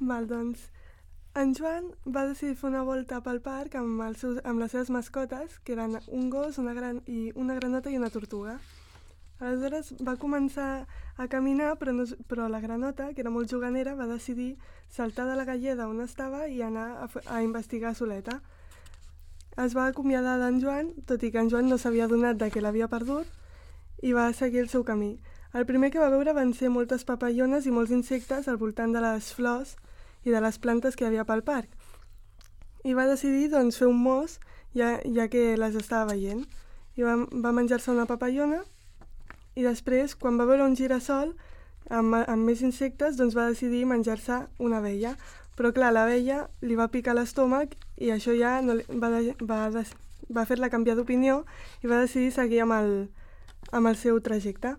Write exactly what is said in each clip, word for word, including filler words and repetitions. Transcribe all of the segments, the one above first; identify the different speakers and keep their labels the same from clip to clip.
Speaker 1: Val, doncs, en Joan va decidir fer una volta pel parc amb, els seus, amb les seves mascotes, que eren un gos, una, gran, i una granota i una tortuga. Aleshores va començar a caminar, però, no, però la granota, que era molt juganera, va decidir saltar de la galleda on estava i anar a, a investigar soleta. Es va acomiadar d'en Joan, tot i que en Joan no s'havia adonat de que l'havia perdut, i va seguir el seu camí. El primer que va veure van ser moltes papallones i molts insectes al voltant de les flors i de les plantes que hi havia pel parc. I va decidir doncs, fer un mos, ja, ja que les estava veient. I va, va menjar-se una papallona i després, quan va veure un girassol amb, amb més insectes, doncs va decidir menjar-se una abella. Però clar, l'abella li va picar l'estómac i això ja no li, va, de, va, de, va fer-la canviar d'opinió i va decidir seguir amb el, amb el seu trajecte.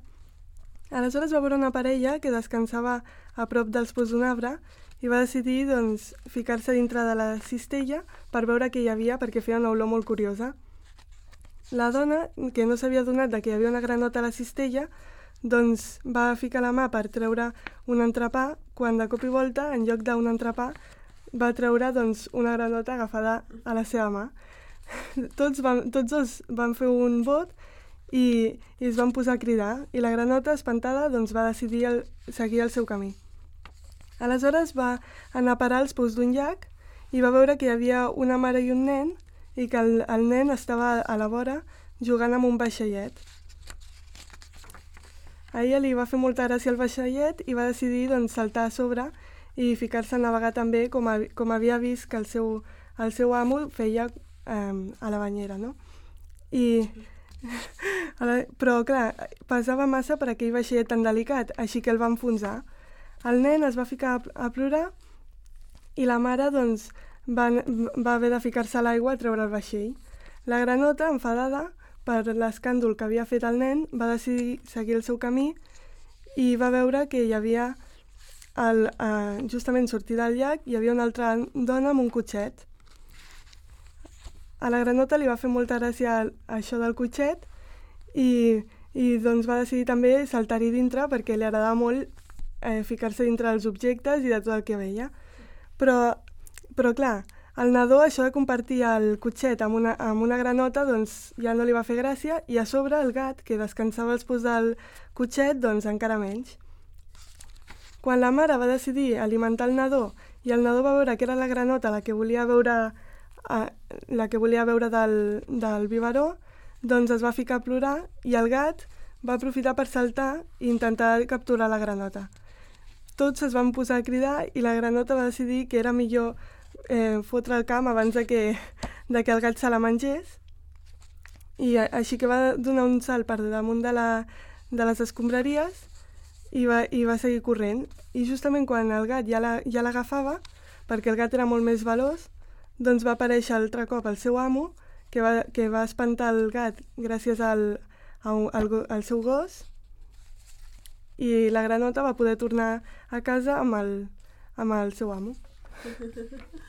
Speaker 1: Aleshores va veure una parella que descansava a prop dels pous d'un arbre i va decidir doncs, ficar-se dintre de la cistella per veure què hi havia perquè feia una olor molt curiosa. La dona, que no s'havia adonat de que hi havia una granota a la cistella, doncs va ficar la mà per treure un entrepà, quan de cop i volta, en lloc d'un entrepà, va treure doncs, una granota agafada a la seva mà. Tots, van, tots dos van fer un bot i, i es van posar a cridar, i la granota, espantada, doncs, va decidir el, seguir el seu camí. Aleshores va anar a parar als pous d'un llac i va veure que hi havia una mare i un nen i que el, el nen estava a la vora jugant amb un vaixellet. A ella li va fer molta gràcia el vaixellet i va decidir doncs, saltar a sobre i ficar-se a navegar també com, a, com havia vist que el seu, el seu amo feia eh, a la banyera, no? I, però clar, pesava massa per aquell vaixellet tan delicat, així que el va enfonsar. El nen es va ficar a plorar i la mare doncs, va, va haver de ficar-se a l'aigua a treure el vaixell. La granota, enfadada per l'escàndol que havia fet el nen, va decidir seguir el seu camí i va veure que hi havia, el, eh, justament sortir del llac, hi havia una altra dona amb un cotxet. A la granota li va fer molta gràcia això del cotxet i, i doncs va decidir també saltar-hi dintre perquè li agradava molt eh, ficar-se dintre dels objectes i de tot el que veia. Però, però clar, al nadó això de compartir el cotxet amb una, amb una granota doncs ja no li va fer gràcia i a sobre el gat, que descansava als pous del cotxet, doncs encara menys. Quan la mare va decidir alimentar el nadó i el nadó va veure que era la granota la que volia veure, eh, la que volia veure del, del biberó, doncs es va ficar a plorar i el gat va aprofitar per saltar i intentar capturar la granota. Tots es van posar a cridar i la granota va decidir que era millor eh, fotre el camp abans de que, de que el gat se la mengés i a, així que va donar un salt per damunt de, la, de les escombraries i va, i va seguir corrent. I justament quan el gat ja la, ja l'agafava, perquè el gat era molt més veloç, doncs va aparèixer altre cop el seu amo, que va, que va espantar el gat gràcies al, al, al seu gos, i la granota va poder tornar a casa amb el, amb el seu amo.